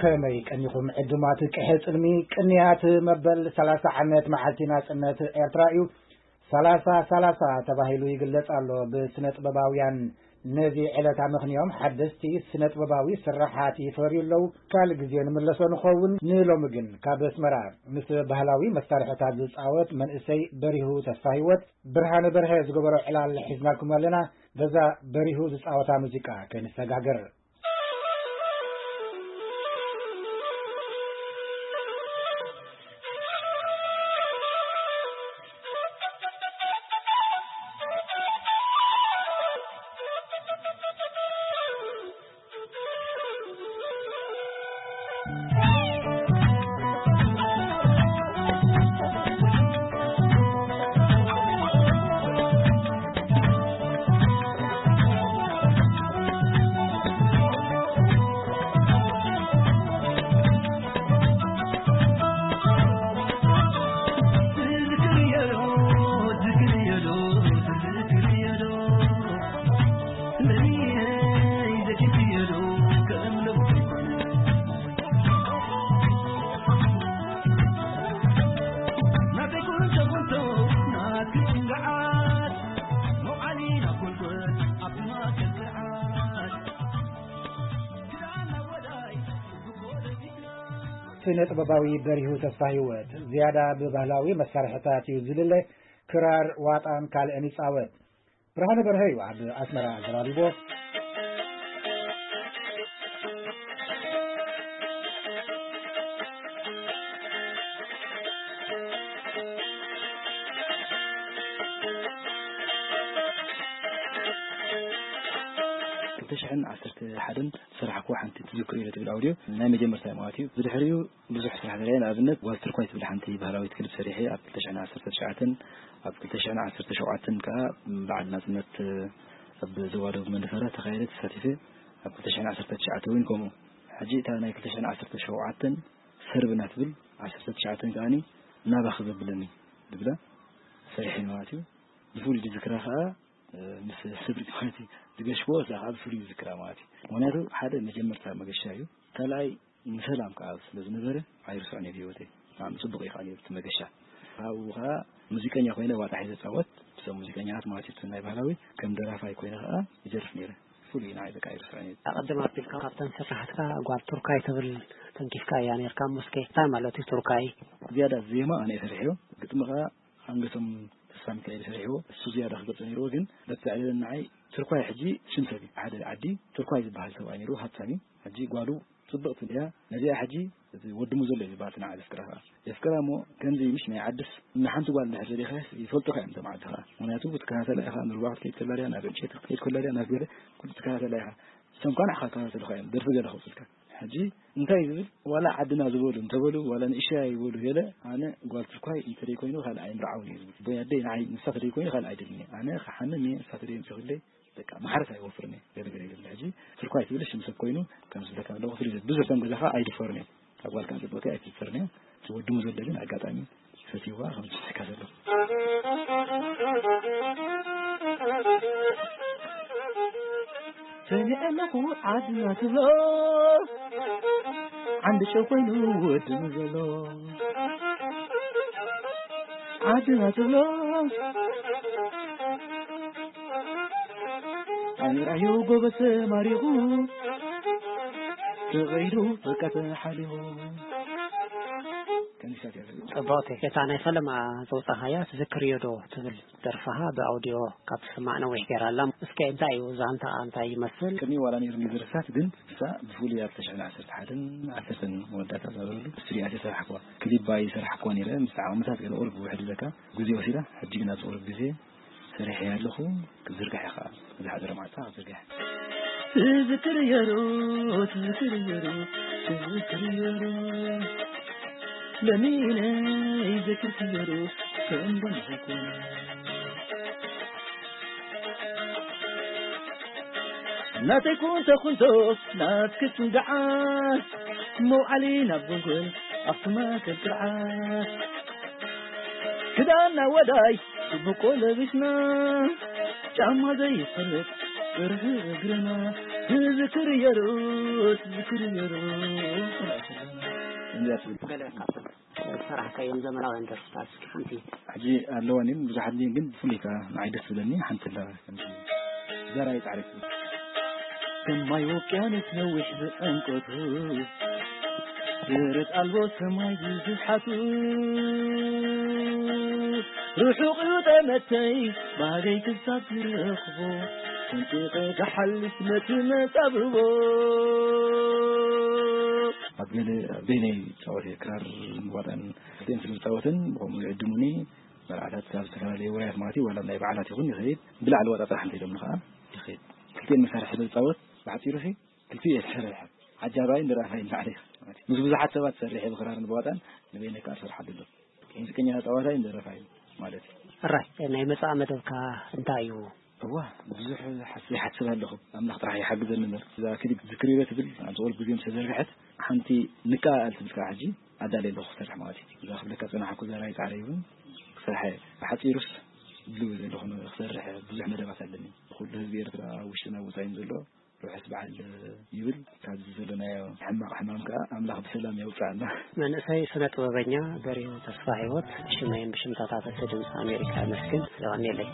ከመይ ቀኒኹም ዕዱማት ቅሐ ጽልሚ? ቅንያት መበል ሰላሳ ዓመት መዓልቲ ናጽነት ኤርትራ እዩ። ሰላሳ ሰላሳ ተባሂሉ ይግለጽ ኣሎ ብስነ ጥበባውያን። ነዚ ዕለት ኣመኽንዮም ሓደስቲ ስነ ጥበባዊ ስራሓት ይፈርዩ ኣለዉ። ካልእ ግዜ ንምለሶ ንኸውን። ንሎሚ ግን ካብ ኣስመራ ምስ ባህላዊ መሳርሕታት ዝጻወት መንእሰይ በሪሁ ተስፋ ህይወት፣ ብርሃነ በርሀ ዝገበሮ ዕላል ሒዝናልኩም ኣለና። በዛ በሪሁ ዝጻወታ ሙዚቃ ከንሰጋገር። ስነ ጥበባዊ በሪሁ ተስፋ ህይወት ዝያዳ ብባህላዊ መሳርሕታት እዩ ዝልለ። ክራር፣ ዋጣን ካልእን ይጻወት። ብርሃነ በርሀ እዩ ኣብ ኣስመራ ኣዘራሪቦ። ክልተ ሽሕን ዓሰርተ ሓደን ዝሰራሕክዎ ሓንቲ ትዝክሩ ኢለ ትብል ኣውድዮ ናይ መጀመርታ ማለት እዩ። ብድሕሪኡ ብዙሕ ስራሕ ሰሪሐ። ንኣብነት ጓል ትርኳይ ትብል ሓንቲ ባህላዊት ክሊፕ ሰሪሐ ኣብ ክልተ ሽሕን ዓሰርተ ትሽዓተን፣ ኣብ ክልተ ሽሕን ዓሰርተ ሸውዓተን ከኣ በዓል ናጽነት ኣብ ዞባ ደቡብ መንደፈራ ተኻየደ፣ ተሳቲፈ። ኣብ ክልተ ሽሕን ዓሰርተ ትሽዓተን እውን ከምኡ። ሕጂ እታ ናይ ክልተ ሽሕን ዓሰርተ ሸውዓተን ሰርብና ትብል፣ ዓሰርተ ትሽዓተን ከኣኒ ናባኺ ዘብለኒ ዝብላ ሰሪሐ ማለት እዩ። ብፍሉይ ዝዝክራ ከኣ፣ እ፣ ምስ ስብሪ ማለት እዩ፣ ዝገሽዎ እዛ ከኣ ብፍሉይ ዝዝክራ ማለት እዩ። ምኽንያቱ ሓደ መጀመርታ መገሻ እዩ። ካልኣይ ንሰላም ከኣ ስለ ዝነበረ ኣይርስዖን እየ ብህይወተይ። ብጣዕሚ ጽቡቕ እዩ ከኣ ነይሩ እቲ መገሻ። ካብኡ ከኣ ሙዚቀኛ ኮይነ ዋጣ ሒዘ እጻወት። እቶም ሙዚቀኛታት ማለት እዩ፣ እቲ ናይ ባህላዊ ከም ደራፋይ ኮይነ ከኣ ይደርፍ ነይረ። ፍሉይ ንዓይ በቃ ኣይርስዖን እየ። ኣቐድም ኣቢልካ ካብተን ስራሓትካ ጓል ቱርካይ ትብል ተንኪፍካ እያ ነይርካ። እሞ እስከ እንታይ ማለት እዩ ቱርካይ? ዝያዳ ዜማ ኣነ እየ ሰሪሐዮ፣ ግጥሚ ከኣ ኣንገሶም ተስፋ ሚካኤል ሰሪሕዎ። እሱ ዝያዳ ክገልጾ ነይርዎ፣ ግን በቲ ዘዕለለን ንዓይ ትርኳይ ሕጂ ሽም ሰብ እዩ። ሓደ ዓዲ ትርኳይ ዝበሃል ሰብኣይ ነይርዎ፣ ሃብታም እዩ። ሕጂ ጓሉ ጽብቕቲ እያ። ነዚኣ ሕጂ እቲ ወዲ ሙዘሎ እዩ ዝበሃል፣ እቲ ንዓ ዘፍቅራ ከኣ። የፍቅራ እሞ ከምዚ ምሽ ናይ ዓድስ ንሓንቲ ጓል እንድሕር ደሊኻስ ይፈልጡኻ እዮም እቶም ዓዲ ከኣ። ምኽንያቱ ክትከታተላ ኢኻ፣ ንሩባ ክትከይድ ከላ ድያ፣ ናብ ዕንጨይቲ ክትከይድ ከላ ድያ፣ ናብ ገለ ኩሉ ትከታተላ ኢኻ። እሶም ከኣ ንዓኻ ክከታተሉኻ እዮም፣ ደርፊ ገለ ከውጽልካ። ሕጂ እንታይ ዝብል፣ ዋላ ዓድና ዝበሉ እንተበሉ፣ ዋላ ንእሽተይ ይበሉ ገለ፣ ኣነ ጓል ትርኳይ እንተደይ ኮይኑ ካልእ ኣይምርዓውን እየ ዝብል። ወይ ኣደይ ንዓይ ንሳ ተደይ ኮይኑ ካልእ ኣይደልን እየ። ኣነ ክሓምም እየ፣ ንሳ ተደይ ኣምጺኹለይ፣ በቃ ማሕረስ ኣይወፍርን እየ። ገለ ገለ ይብል። ሕጂ ትርኳይ ትብል ሽም ሰብ ኮይኑ፣ ከም ዝብለካ ዘለኹ ፍልይ ዘብል። ብዙሕ እቶም ገዛኻ ኣይድፈርን እዮም። ካብ ጓልካ ንጽበካ ኣይትድፈርን እዮም። እቲ ወዲ ሙዘሎ ግን ኣጋጣሚ ፈትይዋ ከም ዝስሕካ ዘለኹ። ሰሚዐ ኣለኹ ዓድና ትብሎ፣ ዓንዲ ጨው ኮይኑ ወዲ ሙዘሎ። ዓድና ትብሎ፣ ኣሚራዮ ጎበዝ ተማሪኹ፣ ተቐይዱ በቃ ተሓሊኹ። ከኒሻት እያ። ጽብቕቲ። እታ ናይ ፈለማ ዘውጻኻያ ትዝክርዮ ዶ ትብል ደርፍኻ ብኣውዲዮ ካብ ትስማዕ ነዊሕ ገይራ ኣላ። እስከ እንታይ እዩ ዛንታኣ፣ እንታይ ይመስል? ቅድሚ ዋላ ነይሩ ዝርሳት፣ ግን እሳ ብፍሉይ ኣብ ክልተ ሽሕን ዓሰርተ ሓደን ዓሰርተን መወዳእታ ዝነበረሉ ስቱድዮ ኣትየ ሰራሕክዋ። ክሊፕ ባይ ሰራሕክዋ ነይረ፣ ምስ ዓመታት ገለ ቁሩብ ውሕድ ኢለካ ግዜ ወሲዳ። ሕጂ ግን ኣብዚ ቁሩብ ግዜ ሰሪሐያ ኣለኹ። ክዝርጋሕ እየ ኸዓ፣ ዝሓደረ መዓልቲ ክዝርጋሕ። ትዝክር እየ ዶ፣ ትዝክር እየ ዶ፣ ትዝክር እየ ዶ፣ ለሚነ ይዘክር እየ ዶ፣ ከም ደምሕኩ። ናተይ ኩንቶ ኩንቶ ናትኪ ጽንግዓ። መውዓሊ ናብ ጎልጎል ኣኽሱም ማእከል ቅርዓት ክዳና ወዳይ ጽቡቆ ለቢስና ጫማ ዘይፈልጥ ብርህ እግርና ንዝክር የርኡት ዝክር የርኡት እንዲያ ትብል። ገለ ካብቶም ዝሰራሕካዮም ዘመናውያን ደርፍታት እስኪ ሓንቲ። ሕጂ ኣለዋን ብዙሓት ግን ብፍሉይ ከዓ ንዓይ ደስ ዝብለኒ ሓንቲ ኣለዋ ከምዚ ዘራይ ፃዕሪ ትብል ሰማይ ውቅያኖስ ነዊሕ ብዕምቆቱ ደረት ኣልቦ ሰማይ ብዙሓቱ ርሑቕ እዩ ጠመተይ ባህገይ ክሳብ ዝረኽቦ ስንጢቐ ክሓልፍ ነቲ መጻብቦ ኣብ ገለ በይነይ ፃወት ክራር ምዋጣን ክልቲኤን ስለ ዝፃወትን ብኸምኡ ይዕድሙኒ መርዓታት ኣብ ዝተፈላለዩ ወራያት ማለት እዩ ዋላ ናይ በዓላት ይኹን ይኸይድ ብላዕሊ ዋጣ ጥራሕ እንተኢሎምኒ ከዓ ይኸይድ ክልቲኤን መሳርሒ ስለ ዝፃወት ብሓፂሩ ሲ ክልቲኡ እየ ዝሰርሕ ዓጃባይን ደራፋይን ንባዕለይ ምስ ብዙሓት ሰባት ሰሪሐ ብክራርን ብዋጣን ንበይነይ ከዓ ዝሰርሓሉ ኣሎ ሙዚቀኛ ተፃዋታይ ደረፋይ ማለት እዩ ሕራይ ናይ መጻኢ መደብካ እንታይ እዩ እዋ ብዙሕ ሓስ- ይሓስብ ኣለኹ ኣምላኽ ጥራሕ ይሓግዘኒ እምበር እዛ ክሊፕ ዝክሪበ ትብል ኣብ ዝቆልኩ ግዜ ዝተዘርግሐት ሓንቲ ንቀኣል ትብል ከዓ ሕጂ ኣዳልየ ኣለኹ ክሰርሕ ማለት እዩ እዛ ክብለካ ፅናሓኩ ዘራይ ፃዕረ ይውን ክሰርሐ ብሓፂሩስ ድልው ዘለኹ ክሰርሕ ብዙሕ መደባት ኣለኒ ኩሉ ህዝቢ ኤርትራ ኣብ ውሽጥን ኣብ ወፃኢን ዘሎ ርሑስ በዓል ይብል ካብዚ ዘለናዮ ሕማቕ ሕማም ከዓ ኣምላኽ ብሰላም የውፅኣና መንእሰይ ስነ ጥበበኛ በሪሁ ተስፋ ህይወት ሽመይን ብሽምታታት ድምፂ ኣሜሪካ የመስግን የቐንየለይ